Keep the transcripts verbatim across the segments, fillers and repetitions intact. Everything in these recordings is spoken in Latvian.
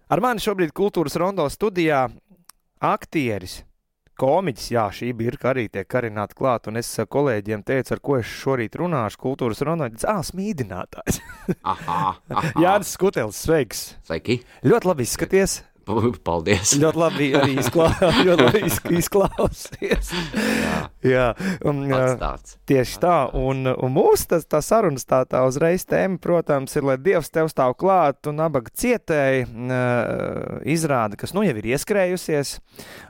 Ar mani šobrīd Kultūras Rondo studijā aktieris, komiķis, jā, šī birka arī tiek karināta klāt, un es kolēģiem teicu, ar ko es šorīt runāšu Kultūras Rondo, ā, smīdinātājs. Aha, aha. Jānis Skutelis, sveiks. Sveiki. Ļoti labi izskaties. Paldies. Ļoti labi arī izklā... ļoti labi izklausies. Jā, jā. Un, pats tāds. Tieši tā, un, un mūsu tas, tā sarunas tā, tā uzreiz tēma, protams, ir, lai Dievs tev stāv klāt un abaga cietēji uh, izrāda, kas nu jau ir ieskrējusies.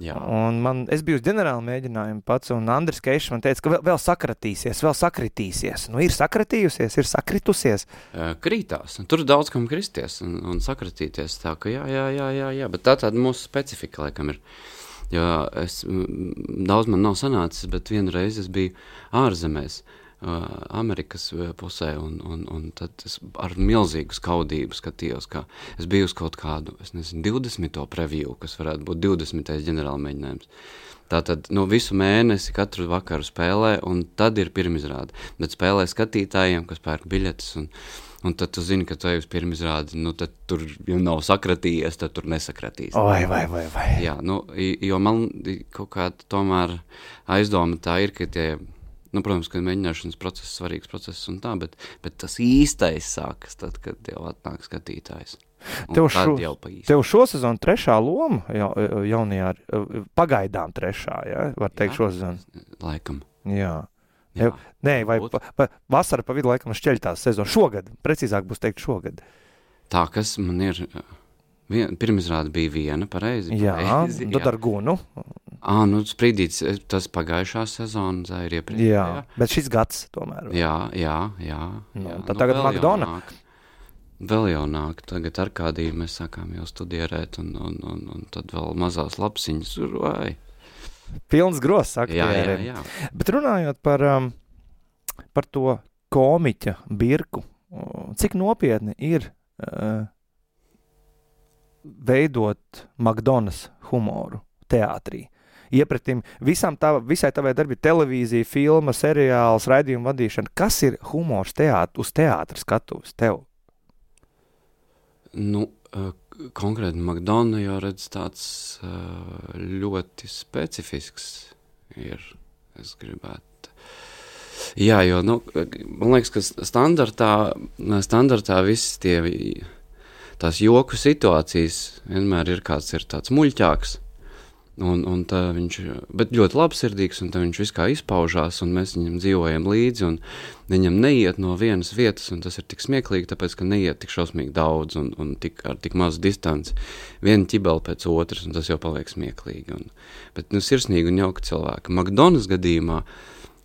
Jā. Un man, es biju uz ģenerāla mēģinājumu pats, un Andris Keišs man teica, ka vēl, vēl sakratīsies, vēl sakritīsies. Nu, ir sakratījusies, ir sakritusies. Krītās. Tur daudz kam kristies un, un sakratīties. Tā ka jā, jā, jā, jā, jā. Bet tā tāda mūsu specifika, laikam, ir. Jo es, daudz man nav sanācis, bet vienreiz es biju ārzemēs, Amerikas pusē, un, un, un tad es ar milzīgu skaudību skatījos, kā es biju uz kaut kādu, es nezinu, divdesmito preview, kas varētu būt divdesmitais ģenerāla mēģinājums. Tātad, nu, visu mēnesi katru vakaru spēlē, un tad ir pirmizrāde. Bet spēlē skatītājiem, kas pērk biļetes, un, un tad tu zini, ka tu ej uz pirmizrādi, nu, tad tur, ja nav sakratījies, tad tur nesakratīs. Vai, vai, vai, vai. Jā, nu, jo man kaut kāda tomēr aizdoma tā ir, ka tie, nu, protams, ka mēģināšanas process, svarīgs process un tā, bet, bet tas īstais sākas tad, kad jau atnāk skatītājs. Tev, šo, tev šo sezonu trešā loma ja, jaunajā, pagaidām trešā, ja, var teikt jā, šo sezonu? Laikam. Jā. jā. Nē, vai pa, pa, vasara pa vidu laikam šķeļtās sezonu. Šogad, precīzāk būs teikt šogad. Tā, kas man ir, vien, pirmizrāde bija viena, pareizi? Jā, pareizi, tad ar Gunu. Ā, nu, sprīdīts, tas pagājušā sezona, tā ir iepriekš. Jā, jā, bet šis gads tomēr. Vai? Jā, jā, jā. jā. jā. Tad nu, tagad Makdona. Vēl jau nāk, tagad Arkādiju mēs sākām jau studierēt, un, un, un, un tad vēl mazās lapsiņas, vai? Pilns gross aktieriem. Jā, jā, jā. Bet runājot par, um, par to komiķa birku, cik nopietni ir uh, veidot Makdonas humoru teātrī? Iepratim visam tā, visai tavai darbi televīzija, filma, seriāls, raidījuma vadīšana. Kas ir humors teāt, uz teātra skatuves tev? Nu, konkrēti Makdona jau redz tāds ļoti specifisks ir, es gribētu. Jā, jo, nu, man liekas, ka standartā, standartā viss tie, tās joku situācijas vienmēr ir kāds ir tāds muļķāks. Un, un tā viņš, bet ļoti labsirdīgs, un tā viņš viss kā izpaužās, un mēs viņam dzīvojam līdzi, un viņam neiet no vienas vietas, un tas ir tik smieklīgi, tāpēc, ka neiet tik šausmīgi daudz, un, un tik, ar tik mazu distanci, viena ķibela pēc otras, un tas jau paliek smieklīgi. Un, bet, nu, sirsnīgi un jauka cilvēka. Makdonas gadījumā,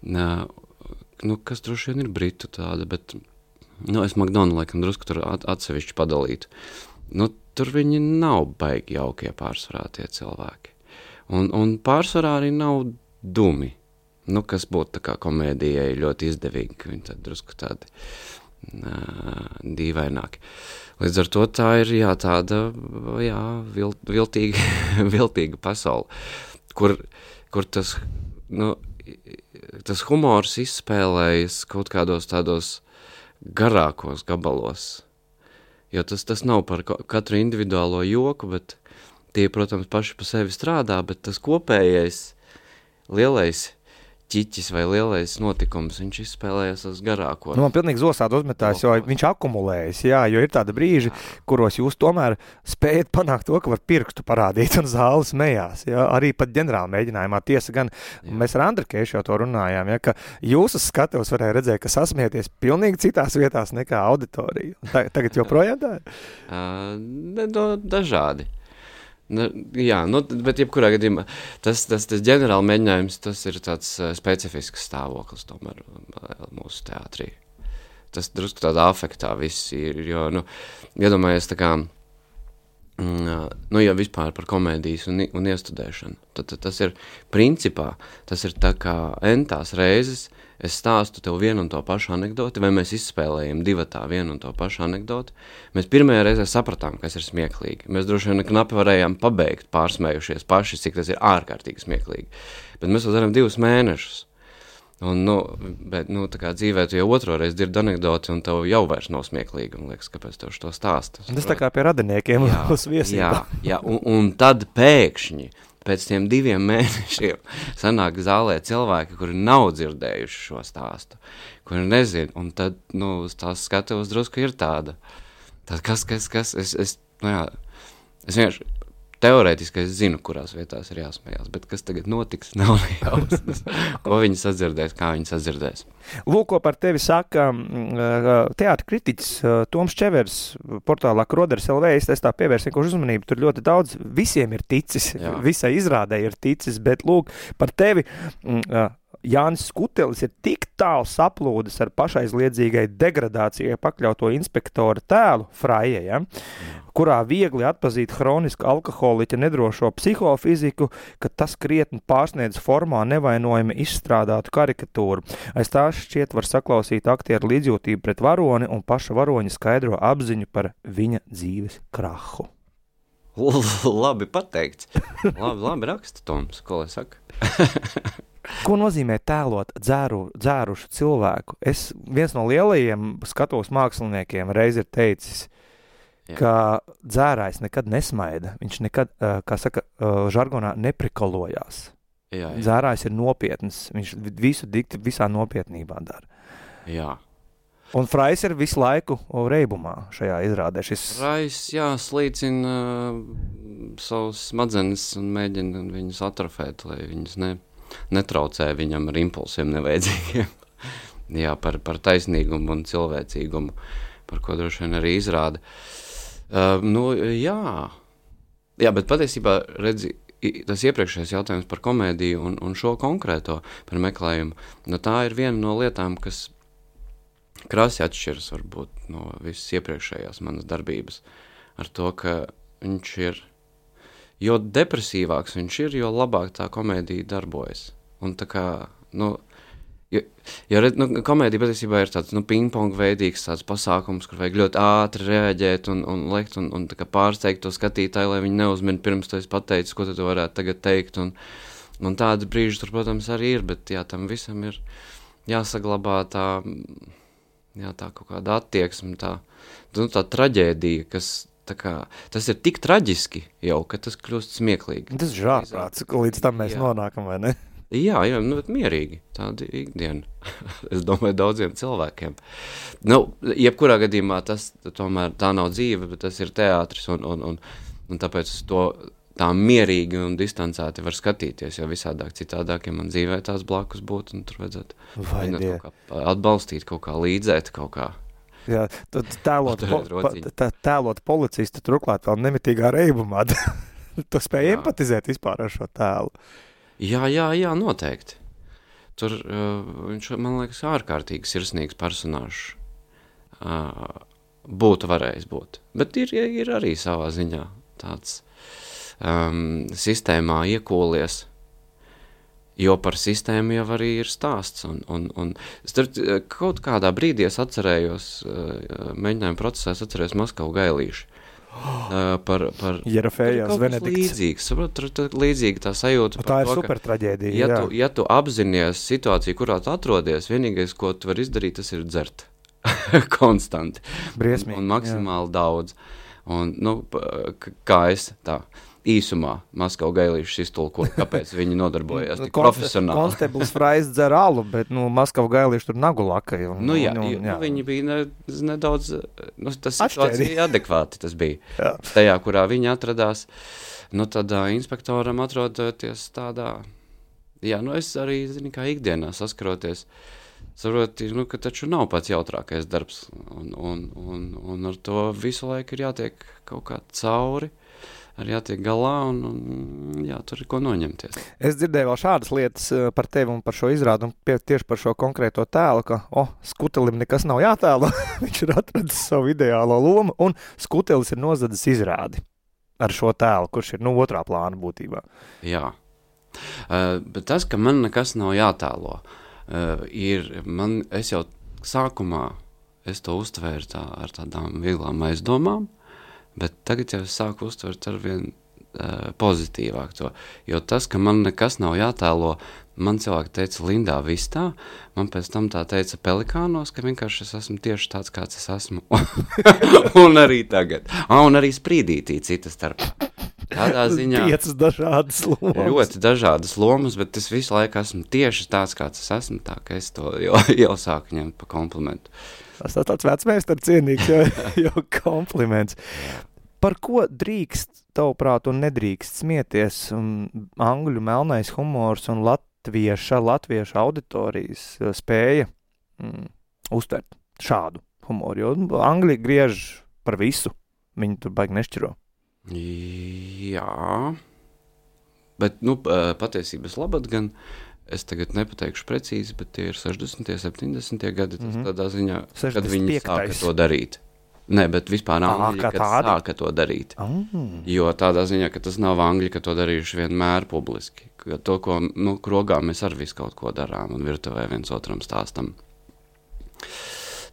nu, kas droši vien ir britu tāda, bet, nu, es Makdonu, laikam, drusku tur at, atsevišķi padalītu. Nu, tur viņi nav baigi jaukie pārsvarā tie cilvēki. Un, un pārsvarā arī nav dumi, nu, kas būtu tā kā komēdijai ļoti izdevīgi, ka viņi tad drusku tādi uh, dīvaināki. Līdz ar to tā ir, jā, tāda, jā, vil, viltīga, viltīga pasaule, kur, kur tas, nu, tas humors izspēlējas kaut kādos tādos garākos gabalos, jo tas, tas nav par katru individuālo joku, bet tie, protams, paši pa sevi strādā, bet tas kopējais lielais ķiķis vai lielais notikums, viņš izspēlējas uz garāko. Nu, man pilnīgi zosādi uzmetās, jo viņš akumulējas, jā, jo ir tāda brīži, kuros jūs tomēr spējat panākt to, ka var pirkstu parādīt un zāli smējās, jā, arī pat ģenerāla mēģinājumā. Tiesa gan, jā. Mēs ar Andru Keišu jau to runājām, jā, ka jūs uz skatevs varēja redzēt, ka sasmieties pilnīgi citās vietās nekā auditorija. Tagad joprojām tā? uh, ne, no, dažādi. Nu, jā, nu, bet jebkurā gadījumā tas, tas, tas ģenerāla mēģinājums, tas ir tāds uh, specifisks stāvoklis tomēr mūsu teātrī. Tas drusku tādā afektā viss ir, jo, nu, iedomājies tā kā, mm, nu, ja vispār par komēdijas un, un iestudēšanu, tad, tad tas ir principā, tas ir tā kā entās reizes, es stāstu tev vienu un to pašu anekdoti, vai mēs izspēlējam divatā vienu un to pašu anekdoti. Mēs pirmajā reizē sapratām, kas ir smieklīgi. Mēs droši vien knapi varējām pabeigt pārsmējušies paši, cik tas ir ārkārtīgi smieklīgi. Bet mēs to darām divus mēnešus. Un, nu, bet, nu, tā kā dzīvē tu jau otro reizi dzirdi anekdoti, un tev jau vairs nav smieklīgi, un liekas, kāpēc tev šo stāstu. Tas tā kā pie radiniekiem jā, uz viesībā. Jā, jā un, un tad pēkšņi, pēc tiem diviem mēnešiem, sanāk zālē cilvēki, kuri nav dzirdējuši šo stāstu, kuri nezin, un tad, nu, tās skatavas drusku ir tāda. Tad kas, kas, kas, es, es, nu jā, es vienkārši, teorētiski es zinu, kurās vietās ir jāsmējās, bet kas tagad notiks, nav nejausmas. Ko viņi sadzirdēs, kā viņi sadzirdēs. Lūk, ko par tevi saka teātra kritiķis Toms Čevers portālā Kroders L V. Es tā pievērsu vienkārši uzmanību, tur ļoti daudz visiem ir ticis, Jā. Visai izrādē ir ticis, bet lūk, par tevi Jānis Skutelis ir tik tālu saplūdis ar pašaizliedzīgai degradācijai pakļauto inspektora tēlu, Fraie, ja? Kurā viegli atpazīt hronisku alkoholiķa nedrošo psihofiziku, ka tas krietni pārsniedz formā nevainojami izstrādātu karikatūru. Aiz tā šķiet var saklausīt aktieru līdzjūtību pret varoni un paša varoņa skaidro apziņu par viņa dzīves krahu. Labi pateikts. Labi, labi raksta, Toms, ko lai saka? Ko nozīmē tēlot dzēru, dzērušu cilvēku? Es viens no lielajiem skatos māksliniekiem reiz ir teicis, Jā. Ka dzērājs nekad nesmaida. Viņš nekad, kā saka, žargonā neprikolojās. Jā, jā. Dzērājs ir nopietns. Viņš visu dikti visā nopietnībā dara. Jā. Un Frais ir visu laiku reibumā šajā izrādē. Šis... Frais, jā, slīcina uh, savus smadzenes un mēģina viņus atrofēt, lai viņus ne, netraucē viņam ar impulsiem nevajadzīgiem. Jā, par, par taisnīgumu un cilvēcīgumu, par ko droši vien arī izrāda. Uh, nu, jā. Jā, bet patiesībā, redzi, tas iepriekšējais jautājums par komēdiju un, un šo konkrēto par meklējumu, nu, tā ir viena no lietām, kas krasi atšķiras varbūt no visas iepriekšējās manas darbības ar to, ka viņš ir, jo depresīvāks viņš ir, jo labāk tā komēdija darbojas. Un tā kā, nu, jo, jo nu, komēdija patiesībā ir tāds, nu, ping-pong veidīgs tāds pasākums, kur vajag ļoti ātri reaģēt un, un lekt un, un tā kā pārsteigt to skatītāju, lai viņi neuzmin pirms to es pateicu, ko tu varētu tagad teikt. Un, un tādi brīži tur, protams, arī ir, bet jā, tam visam ir jāsaglabā tā, jā, tā kaut kāda attieksme, tā, nu, tā traģēdija, kas tā kā, tas ir tik traģiski jau, ka tas kļūst smieklīgi. Tas ir žārprāts, ka līdz tam mēs jā. Nonākam, vai ne? Jā, jā, nu, bet mierīgi, tāda ikdiena, es domāju, daudziem cilvēkiem. Nu, jebkurā gadījumā tas tomēr tā nav dzīve, bet tas ir teātris, un, un, un, un tāpēc to tā mierīgi un distancēti var skatīties, jo visādāk citādāk, ja man dzīvē tās blakus būtu, un tur vajadzētu kaut kā atbalstīt, kaut kā līdzēt, kaut kā. Jā, tēlot, po, pa, tēlot policistu turklāt vēl nemitīgā reibumā, tu spēj empatizēt vispār ar šo tēlu. Jā, jā, jā, noteikti. Tur uh, viņš, man liekas, ārkārtīgi sirsnīgs personāžs uh, būtu varējis būt. Bet ir, ir arī savā ziņā tāds um, sistēmā iekūlies, jo par sistēmu jau arī ir stāsts. Un, un, un starp, kaut kādā brīdī es atcerējos, uh, mēģinājumu procesā es atcerējos Maskavu Gailīšu. Uh, par, par Jerofejās Venedikts. Līdzīgs, saprot, tur ir līdzīga tā sajūta. Tā ir to, super traģēdija. Ja tu, ja tu apzinies situāciju, kurā tu atrodies, vienīgais, ko tu vari izdarīt, tas ir dzert. Konstanti. Briesmīgi. Un, un maksimāli jā. Daudz. Un, nu, kā es tā īsumā Maskavu Gailīšus iztulkoju, kāpēc viņi nodarbojās tik profesionāli. Konsteblis Frais dzer alu, bet, nu, Maskavu Gailīši tur nagu laka. Un, nu, jā, un, un, jā. Nu, viņi bija ne, nedaudz, nu, tas situācija adekvāti tas bija. Jā. Tajā, kurā viņi atradās, nu, tad uh, inspektoram atrodoties tādā, jā, nu, es arī, zini, kā ikdienā saskaroties, saproti, nu, ka taču nav pats jautrākais darbs, un, un, un, un ar to visu laiku ir jātiek kaut kā cauri, arī jātiek galā un, un jā, tur ir ko noņemties. Es dzirdēju vēl šādas lietas par tevi un par šo izrādu un pie, tieši par šo konkrēto tēlu, ka, o, oh, Skutelim nekas nav jātēlo, viņš ir atradis savu ideālo lomu un Skutelis ir nozadzis izrādi ar šo tēlu, kurš ir, nu, otrā plāna būtībā. Jā, uh, bet tas, ka man nekas nav jātēlo, uh, ir, man, es jau sākumā, es to uztvēru tā, ar tādām vieglām aizdomām, bet tagad jau es sāku uztvert ar vien uh, pozitīvāk to. Jo tas, ka man nekas nav jātēlo, man cilvēki teica Lindā Vistā, man pēc tam tā teica Pelikānos, ka vienkārši es esmu tieši tāds, kāds es esmu. Un arī tagad. Ah, un arī Sprīdītī cita starpā. Tādā ziņā piecas dažādas lomas. Ļoti dažādas lomas, bet es visu laiku esmu tieši tāds, kāds es esmu, tā ka es to jau, jau sāku ņemt pa komplimentu. Tas tā tāds vecmeistars cienīgs, jau, jau kompliments. Par ko drīkst, tavuprāt, un nedrīkst smieties um, angļu melnais humors un latvieša, latvieša auditorijas spēja mm, uztvert šādu humoru? Jo angļi griež par visu, viņi tur baigi nešķiro. Jā, bet, nu, patiesības labad gan, es tagad nepateikšu precīzi, bet tie ir sešdesmitie, septiņdesmitie gadi, tas mm-hmm. tādā ziņā, kad viņi sāka to darīt. Nē, bet vispār angļi, kad tādi? Sāka to darīt. Mm. Jo tādā ziņā, ka tas nav angļi, ka to darījuši vienmēr publiski. Ka to, ko, nu, krogā mēs ar visu kaut ko darām un virtuvē viens otram stāstam.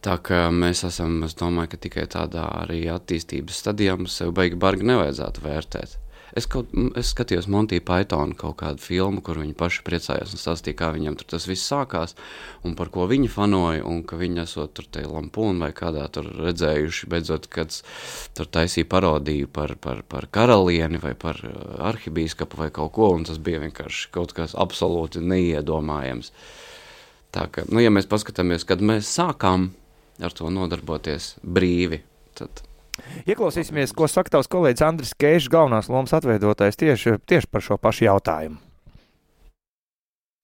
Tā kā mēs esam, es domāju, ka tikai tādā arī attīstības stadijā mums sev baigi bargi nevajadzētu vērtēt. Es, kaut, es skatījos Monty Pythonu kaut kādu filmu, kur viņi paši priecājās un stāstīja, kā viņam tur tas viss sākās un par ko viņi fanoja un ka viņi esot tur te Lampūnu vai kādā tur redzējuši, beidzot, kad tur taisīja parodiju par, par, par karalieni vai par arhibīskapu vai kaut ko un tas bija vienkārši kaut kas absolūti neiedomājams. Tā ka, nu, ja mēs paskatāmies, kad mēs sākām ar to nodarboties brīvi, tad... Ieklausīsimies, ko saka tavs kolēģis Andris Keišs, galvenās lomas atveidotājs tieši, tieši par šo pašu jautājumu.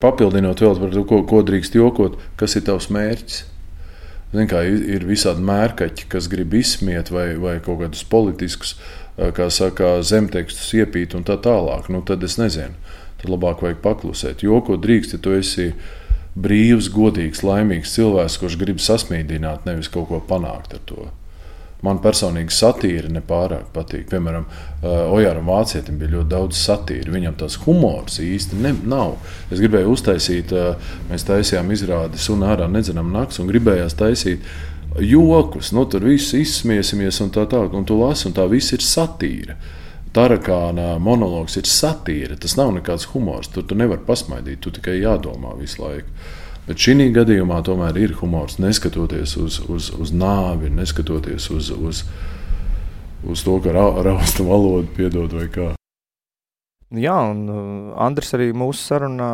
Papildinot vēl par to, ko, ko drīkst jokot, kas ir tavs mērķis? Zin kā, ir visādi mērkaķi, kas grib izsmiet vai, vai kaut kādus politiskus, kā saka, zemtekstus iepīt un tā tālāk. Nu, tad es nezinu, tad labāk vajag paklusēt. Jokot drīkst, ja tu esi brīvs, godīgs, laimīgs cilvēks, kurš grib sasmīdināt, nevis kaut ko panākt ar to. Man personīgi satīra nepārāk patīk. Piemēram, Ojāram Vācietim bija ļoti daudz satīra. Viņam tās humors īsti ne, nav. Es gribēju uztaisīt, mēs taisījām izrādi Suna ārā nedzenam nakts un gribējās taisīt jokus. Nu, tur viss izsmiesimies un tā tā, un tu lasi, un tā viss ir satīra. Tarakāna monologs ir satīra, tas nav nekāds humors, tur tu nevar pasmaidīt, tu tikai jādomā visu laiku. Bet šī gadījumā tomēr ir humors, neskatoties uz, uz, uz nāvi, neskatoties uz, uz, uz to, ka ra, rausta valodu piedod vai kā. Jā, un uh, Andris arī mūsu sarunā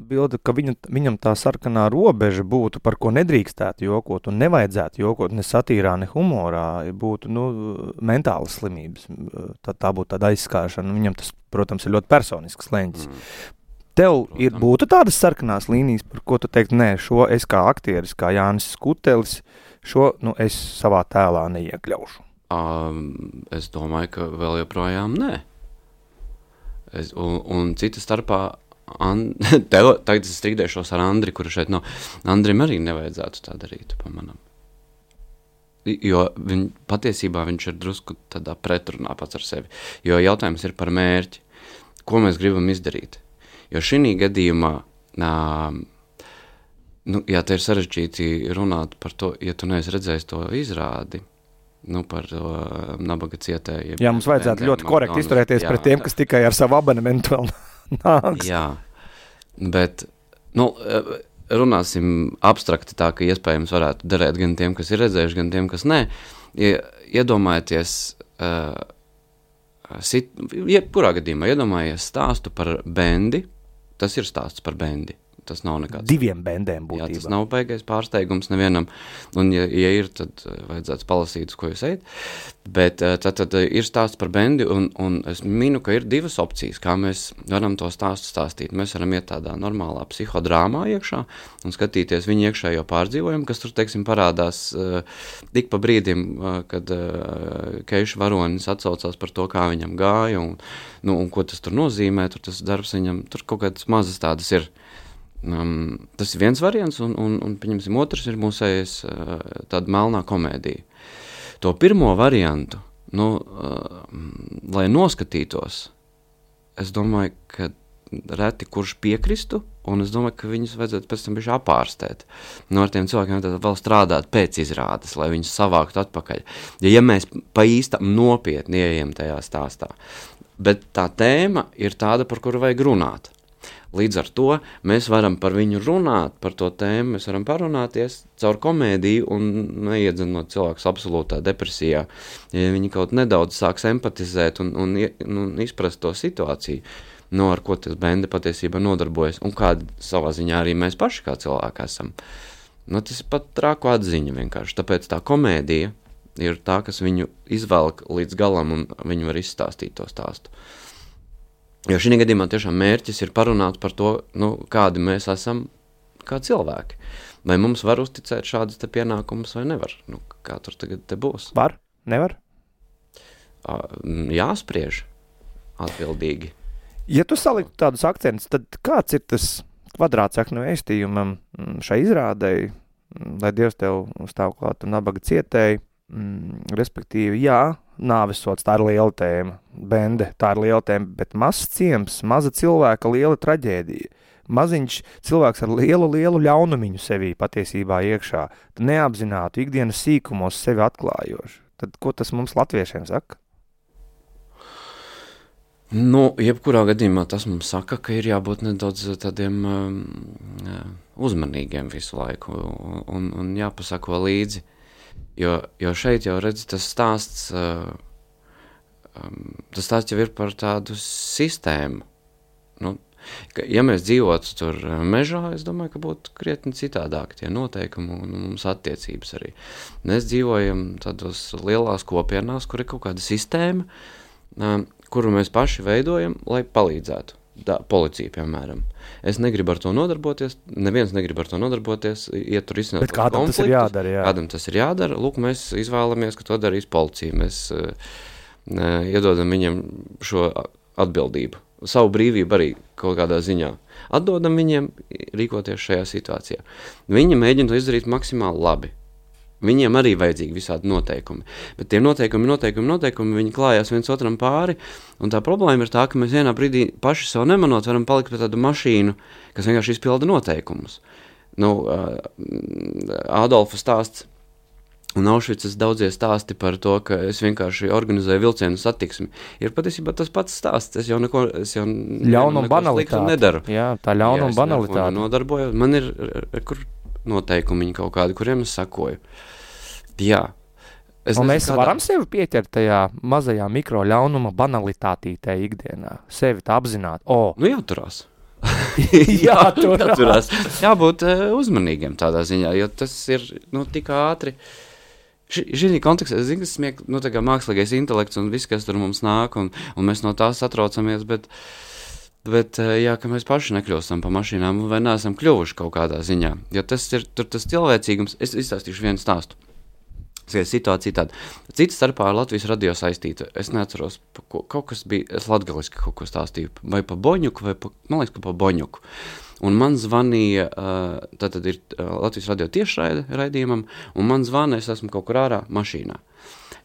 bilda, ka viņa, viņam tā sarkanā robeža būtu, par ko nedrīkstētu jokot un nevajadzētu jokot ne satīrā, ne humorā, būtu, nu, mentālas slimības. Tā, tā būtu tāda aizskāršana. Viņam tas, protams, ir ļoti personisks leņķis. Mm. Tev ir, būtu tādas sarkanās līnijas, par ko tu teikt, nē, šo es kā aktieris, kā Jānis Skutelis, šo, nu, es savā tēlā neiekļaušu. Um, es domāju, ka vēl joprojām nē. Es, un, un cita starpā, an, tev, tagad es strīdēšos ar Andri, kuru šeit nav. Andrim arī nevajadzētu tā darīt, pamanam. Jo viņ, patiesībā viņš ir drusku tādā pretrunā pats ar sevi. Jo jautājums ir par mērķi, ko mēs gribam izdarīt. Jo šī gadījumā, nā, nu, jā, te ir sarežģīti runāt par to, ja tu neesi redzējis to izrādi, nu, par to nabaga cietējiem. Jā, mums vajadzētu bendiem, ļoti korekti izturēties jā, pret tiem, kas tikai ar savu abonementu vēl nāks. Jā, bet, nu, runāsim abstrakti tā, ka iespējams varētu derēt gan tiem, kas ir redzējuši, gan tiem, kas nē. Iedomājieties, uh, sit, jebkurā gadījumā iedomājies stāstu par bendi, tas ir stāsts par bendi. Tas nav nekāds. Diviem bendēm būtībā. Jā, tas nav baigais pārsteigums nevienam. Un, ja, ja ir, tad vajadzētu palasīt, uz ko jūs ejat. Bet tad, tad ir stāsts par bendi, un, un es minu, ka ir divas opcijas, kā mēs varam to stāstu stāstīt. Mēs varam iet tādā normālā psihodrāmā iekšā un skatīties viņu iekšējo pārdzīvojumu, kas tur, teiksim, parādās uh, tik pa brīdim, uh, kad uh, Keiša varonis atsaucās par to, kā viņam gāja, un, nu, un ko tas tur nozīmē, tur tas darbs viņam, tur kaut kādas mazas tādas ir. Um, tas ir viens variants, un, un, un pieņemsim, otrs ir mūsējais uh, tāda melnā komēdija. To pirmo variantu, nu, uh, lai noskatītos, es domāju, ka reti kurš piekristu, un es domāju, ka viņus vajadzētu pēc tam bišķi apārstēt. Nu, ar tiem cilvēkiem tad vēl strādāt pēc izrādes, lai viņus savāktu atpakaļ. Ja, ja mēs pa īstam nopietni ieejam tajā stāstā. Bet tā tēma ir tāda, par kuru vajag runāt. Līdz ar to mēs varam par viņu runāt, par to tēmu, mēs varam parunāties caur komēdiju un neiedzenot cilvēkus absolūtā depresijā. Ja viņi kaut nedaudz sāks empatizēt un, un, un izprast to situāciju, no ar ko tas bende patiesībā nodarbojas un kāda savā ziņā arī mēs paši kā cilvēki esam. Nu, tas ir pat trāku atziņa vienkārši. Tāpēc tā komēdija ir tā, kas viņu izvelk līdz galam un viņi var izstāstīt to stāstu. Jo šī gadījumā tiešām mērķis ir parunāt par to, nu, kādi mēs esam kā cilvēki. Vai mums var uzticēt šādas te pienākumus vai nevar? Nu, kā tur tagad te būs? Var? Nevar? Jāspriež atbildīgi. Ja tu saliktu tādus akcentus, tad kāds ir tas kvadrātsaknu vēstījumam šai izrādei, lai Dievs tev stāv klāt un nabaga cietēji, mm, respektīvi, jā, nāvesots, tā ir liela tēma, bende, tā ir liela tēma, bet mazs ciems, maza cilvēka liela traģēdija, maziņš cilvēks ar lielu, lielu ļaunumiņu sevī patiesībā iekšā, neapzinātu ikdienas sīkumos sevi atklājoši. Tad ko tas mums latviešiem saka? Nu, jebkurā gadījumā tas mums saka, ka ir jābūt nedaudz tādiem um, uzmanīgiem visu laiku un, un jāpasako līdzi. Jo, jo šeit jau redz, tas stāsts, uh, um, tas stāsts jau ir par tādu sistēmu. Nu, ka, ja mēs dzīvotu tur mežā, es domāju, ka būtu krietni citādāk tie noteikumi un mums attiecības arī. Mēs dzīvojam tādos lielās kopienās, kur ir kaut kāda sistēma, um, kuru mēs paši veidojam, lai palīdzētu. Da, policija, piemēram. Es negribu ar to nodarboties, neviens negrib ar to nodarboties, iet tur izsināt kādam konfliktus. Tas ir jādara, jā. Kādam tas ir jādara. Lūk, mēs izvēlamies, ka to darīs policija. Mēs uh, iedodam viņiem šo atbildību. Savu brīvību arī kaut kādā ziņā. Atdodam viņiem rīkoties šajā situācijā. Viņi mēģina to izdarīt maksimāli labi. Viņiem arī vajadzīgi visādi noteikumi. Bet tie noteikumi, noteikumi, noteikumi, viņi klājās viens otram pāri, un tā problēma ir tā, ka mēs vienā brīdī paši sev nemanot varam palikt pie tādu mašīnu, kas vienkārši izpilda noteikumus. Nu, Ādolfa stāsts un Aušvicas daudzie stāsti par to, ka es vienkārši organizēju vilcienu satiksmi. Ir patiesībā tas pats stāsts. Es jau neko, es jau ļaunuma banalitāte. Nedaru. Jā, tā ļaunuma banalitāte. Nodarbojos. Man ir, kur noteikumi kaut kādi, kuriem es sakoju. Jā. Es un nezinu, mēs kādā... varam sevi pieķert tajā mazajā mikro ļaunuma banalitātītē ikdienā. Sevi tā apzināt. O. Nu jāturās. jāturās. jāturās. Jābūt uh, uzmanīgiem tādā ziņā, jo tas ir, nu, tik ātri. Šī kontekstā, es zinu, ka smiek, nu, tā kā mākslīgais intelekts un viss, kas tur mums nāk, un, un mēs no tās satraucamies, bet Bet, jā, ka mēs paši nekļūstam pa mašīnām vai neesam kļuvuši kaut kādā ziņā. Jo tas ir tur tas cilvēcīgums. Es izstāstīšu vienu stāstu. Situācija tāda. Cita starpā ar Latvijas radio saistīta. Es neatceros, ko, kaut kas bija, es latgaliski kaut ko stāstīju. Vai pa Boņuku, vai pa, man liekas, ka pa Boņuku. Un man zvanīja, tātad ir Latvijas radio tiešraide raidījumam, un man zvana, es esmu kaut kur ārā mašīnā.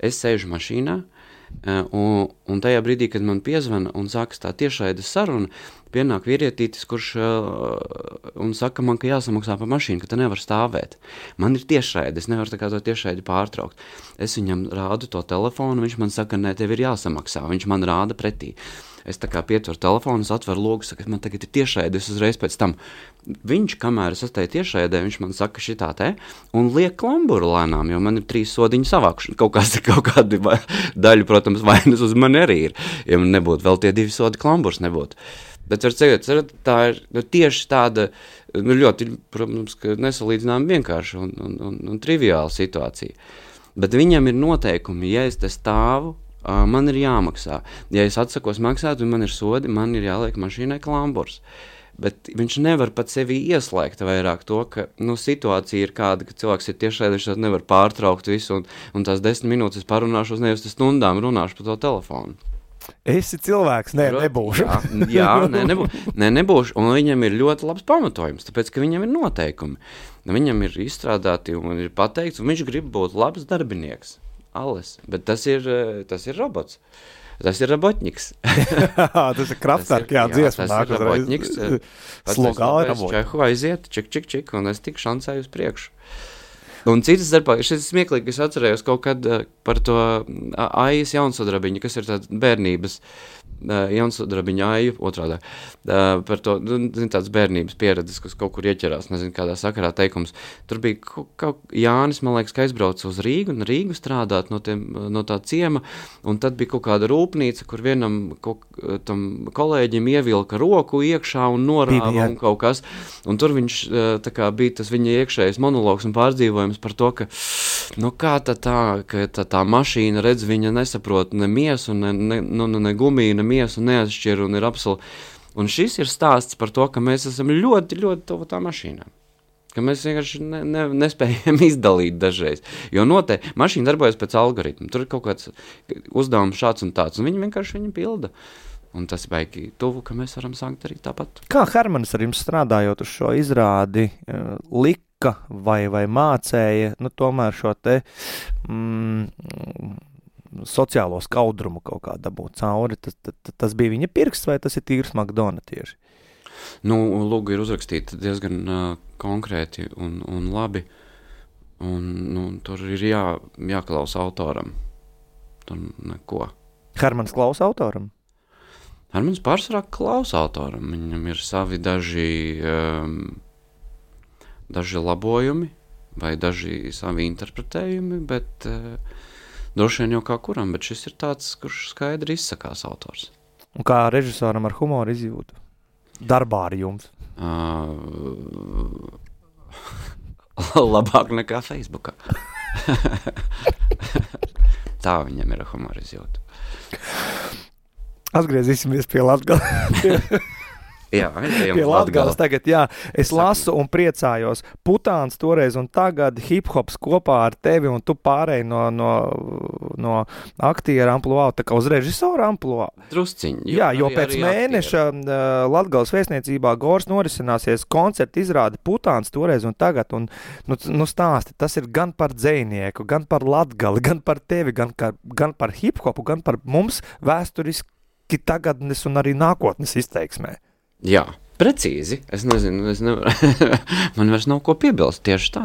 Es sēžu mašīnā, Un, un tajā brīdī, kad man piezvana un sākas tā tiešraides saruna, pienāk vīrietītis, kurš uh, un saka man, ka jāsamaksā par mašīnu, ka te nevar stāvēt. Man ir tiešraide, es nevaru tā kā to tiešraidi pārtraukt. Es viņam rādu to telefonu, viņš man saka, nē, tev ir jāsamaksā, viņš man rāda pretī. Es tā kā pieturu telefonu, es atveru logu, saka, man tagad ir tiešraide, es uzreiz pēc tam. Viņš, kamēr es esmu tiešraidē, viņš man saka šitā te, un liek klamburu lēnām, jo man ir trīs sodiņu savākšana. Kaut, kāds, kaut kādi daļu, protams, vainas uz mani arī ir. Ja man nebūtu, vēl tie divi sodi klamburs nebūtu. Bet var teikt, tā ir nu, tieši tāda, nu, ļoti, protams, nesalīdzinām vienkārši un, un, un, un triviāla situācija. Bet viņam ir noteikumi, ja es te stāvu, Uh, man ir jāmaksā. Ja es atsakos maksāt un man ir sodi, man ir jāliek mašīnai klamburs. Bet viņš nevar pat sevi ieslēgt vairāk to, ka nu, situācija ir kāda, ka cilvēks ir tiešraidē, viņš nevar pārtraukt visu un, un tās desmit minūtes parunāšu uz nevis stundām runāšu pa to telefonu. Esi cilvēks, nē, nebūšu. Jā, jā nē, nebū, nē, nebūšu. Un viņam ir ļoti labs pamatojums, tāpēc, ka viņam ir noteikumi. Viņam ir izstrādāti un ir pateikts, un viņš grib būt labs darbinieks. Alles, bet tas ir, tas ir robots. Tas ir robotņiks. Tas ir Kraftwerk, jā, dziesma. Tas ir robotņiks. Slogā ir robotņiks. Čehu aiziet, čik, čik, čik, un es tik šancēju uz priekšu. Un citas darbā, šis smieklīgi, es atcerējos kaut kad par to Aijas jaunsudrabiņu, kas ir tāds bērnības, jaunsudrabiņa Aiju, otrādā, par to, zin, tāds bērnības pieredzes, kas kaut kur ieķerās, nezinu, kādā sakarā teikums. Tur bija kaut, kaut Jānis, man liekas, ka aizbrauca uz Rīgu, un Rīgu strādāt no, tiem, no tā ciema, un tad bija kaut kāda rūpnīca, kur vienam kaut, tam kolēģim ievilka roku iekšā un norāva un kaut kas, un tur viņš, tā kā bija tas viņa iekšējais monologs un pārdzīvojums par to, ka, nu kā tā tā, ka tā, tā mašīna, redz, viņa nesaprot ne miesu, ne, ne, nu, ne gumiju, ne miesu neatšķir un ir absolūti. Un šis ir stāsts par to, ka mēs esam ļoti, ļoti tuvu tā mašīnām. Ka mēs vienkārši ne, ne, nespējam izdalīt dažreiz. Jo noteikti mašīna darbojas pēc algoritmu. Tur ir kaut kāds uzdevums šāds un tāds, un viņi vienkārši viņu pilda. Un tas baigi tuvu, ka mēs varam sākt arī tāpat. Kā Hermanis ar jums strādājot uz šo izrādi lika vai, vai mācēja, nu tomēr šo te mm, sociālo skaudrumu kaut kā dabūt cauri, tas, tas, tas bija viņa pirksts vai tas ir tīrs Makdona tieši? Nu, lūgu ir uzrakstīta diezgan uh, konkrēti un, un labi, un nu, tur ir jā, jāklausa autoram. Tur neko. Hermans klausa autoram? Hermans pārsvarā klausa autoram. Viņam ir savi daži, um, daži labojumi vai daži savi interpretējumi, bet uh, droši vien jau kā kuram, bet šis ir tāds, kurš skaidri izsakās autors. Un kā režisoram ar humoru izjūtu? Darbā ar jums? Uh, labāk nekā Facebookā. Tā viņam ir humora izjūta. Atgriezīsimies pie Latgales. Jā, pie Latgales tagad, jā. Es lasu un priecājos. Putāns toreiz un tagad hip-hops kopā ar tevi un tu pārēji no, no, no aktiera ampluā, tā kā uz režisora ampluā. Drusciņi. Jā, jo arī, pēc arī mēneša uh, Latgales vēstniecībā Gors norisināsies koncerta izrāde Putāns toreiz un tagad. Un, nu, nu stāsti, tas ir gan par dzejnieku, gan par Latgali, gan par tevi, gan, kā, gan par hip-hopu, gan par mums vēsturiski tagadnes un arī nākotnes izteiksmē. Jā, precīzi. Es nezinu, es nevaru. Man vairs nav ko piebilst tieši tā.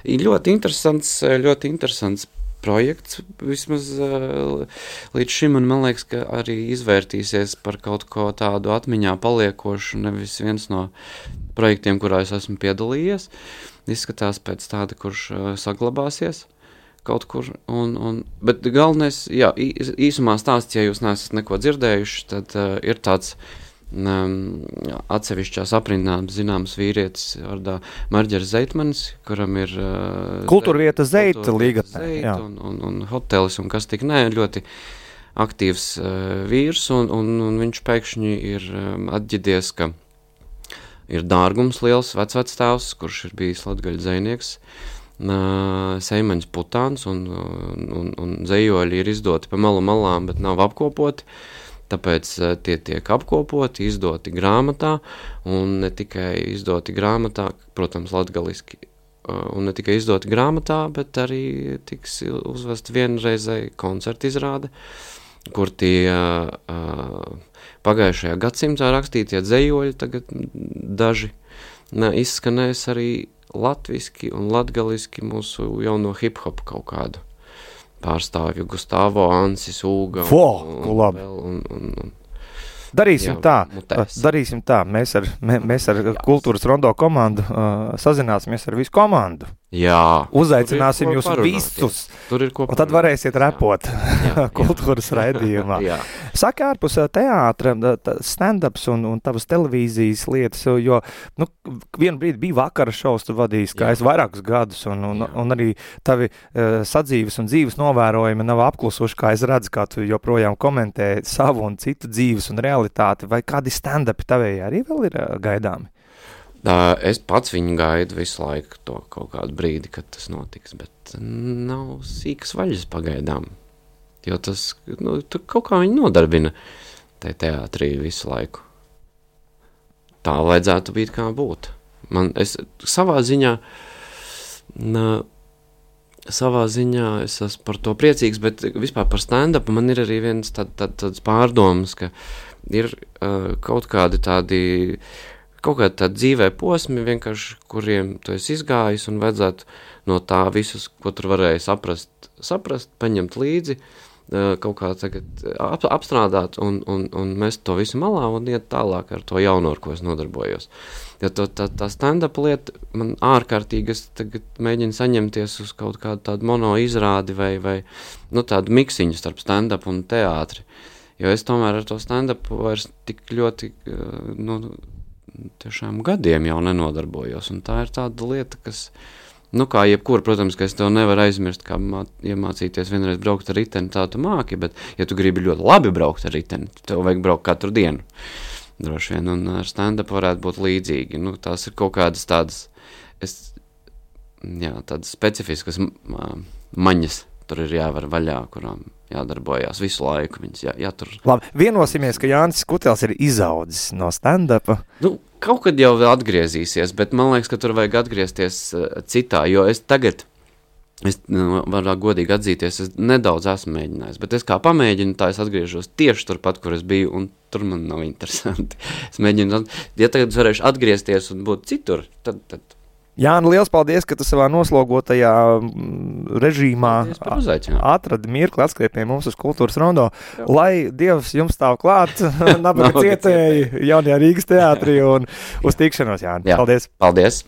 Ir ļoti interesants, ļoti interesants projekts, vismaz uh, līdz šim, un man liekas, ka arī izvērtīsies par kaut ko tādu atmiņā paliekošu, nevis viens no projektiem, kurā es esmu piedalījies. Izskatās pēc tāda, kurš uh, saglabāsies kaut kur, un, un, bet galvenais, jā, īsumā stāsts, ja jūs neesat neko dzirdējuši, tad uh, ir tāds Um, atsevišķās aprindās zināms vīrietis vārdā Marģers Zeitmanis, kuram ir uh, kultūrvieta Zeita līgatnē un, un, un hotelis un kas tik nē, ļoti aktīvs uh, vīrs, un, un, un viņš pēkšņi ir um, atģidies, ka ir dārgums liels vecvectēvs, kurš ir bijis latgaļu dzejnieks, uh, Seimaņas Putāns, un, un, un, un dzejoļi ir izdoti pa malu malām, bet nav apkopoti. Tāpēc uh, tie tiek apkopoti, izdoti grāmatā, un ne tikai izdoti grāmatā, protams, latgaliski, uh, un ne tikai izdoti grāmatā, bet arī tiks uzvest vienreizēji koncerta izrāde, kur tie uh, pagājušajā gadsimtā rakstītie dzejoļi tagad daži ne, izskanēs arī latviski un latgaliski mūsu jauno hip-hop kaut kādu pārstāvju, Gustavo, Ansis, Ūga Fo, un, un, un, un, un Darīsim jā, tā, mutēs. darīsim tā, mēs ar, mē, mēs ar Kultūras rondo komandu uh, sazināsimies ar visu komandu. Jā. Uzaicināsim jūs visus, tur ir ko un tad varēsiet repot kultūras raidījumā. Jā. Saki ārpus teātra, stand-ups un, un tavas televīzijas lietas, jo nu, vienu brīdi bija vakara šovs, tu vadījis, kā es vairākus gadus, un, un, un arī tavi uh, sadzīves un dzīves novērojumi nav apklusuši, kā es redzu, kā tu joprojām komentē savu un citu dzīves un realitāti, vai kādi stand-upi tavējā arī vēl ir uh, gaidāmi? Es pats viņu gaidu visu laiku to kaut kādu brīdi, kad tas notiks, bet nav sīkas vaļas pagaidām, jo tas, nu, tur kaut kā viņi nodarbina te teātrī visu laiku. Tā vajadzētu būt kā būt. Man, es savā ziņā, na, savā ziņā es esmu par to priecīgs, bet vispār par stand-upu man ir arī viens tād, tād, tāds pārdomas, ka ir uh, kaut kādi tādi, kaut kādi tādi dzīvē posmi vienkārši, kuriem tu esi izgājis un vajadzētu no tā visus, ko tur varēja saprast, saprast, paņemt līdzi, kaut kā tagad ap, apstrādāt un, un, un mest to visu malā un iet tālāk ar to jauno, ar ko es nodarbojos. Jo to, tā, tā stand-up lieta man ārkārtīgi, es tagad mēģinu saņemties uz kaut kādu tādu mono izrādi vai, vai nu, tādu miksiņu starp stand-up un teātri. Jo es tomēr ar to stand-up vairs tik ļoti, nu, tiešām gadiem jau nenodarbojos. Un tā ir tāda lieta, kas... Nu, kā jebkur, protams, ka es tev nevaru aizmirst, kā mā, iemācīties vienreiz braukt ar riteni, tā tu māki, bet, ja tu gribi ļoti labi braukt ar riteni, tev vajag braukt katru dienu, droši vien, un ar stand-up varētu būt līdzīgi. Nu, tās ir kaut kādas tādas, es, jā, tādas specifiskas maņas, tur ir jāvar vaļā, kurām jādarbojās visu laiku, viņas jā, jātur. Labi, vienosimies, ka Jānis Kutels ir izaudzis no stand-upa. Nu, kaut kad jau atgriezīsies, bet man liekas, ka tur vajag atgriezties uh, citā, jo es tagad, es nu, varu godīgi atzīties, es nedaudz esmu mēģinājis, bet es kā pamēģinu, tā es atgriežos tieši turpat, kur es biju, un tur man nav interesanti. Es mēģinu, ja tagad es varēšu atgriezties un būt citur, tad... tad Jāni, liels paldies, ka tu savā noslogotajā režīmā atradi mirkli atskriet pie mums uz Kultūras rondo. Jā. Lai Dievs jums stāv klāt, nabaga cietēji jaunajā Rīgas teātrī un uz tikšanos, Jāni. Jā. Paldies! Paldies!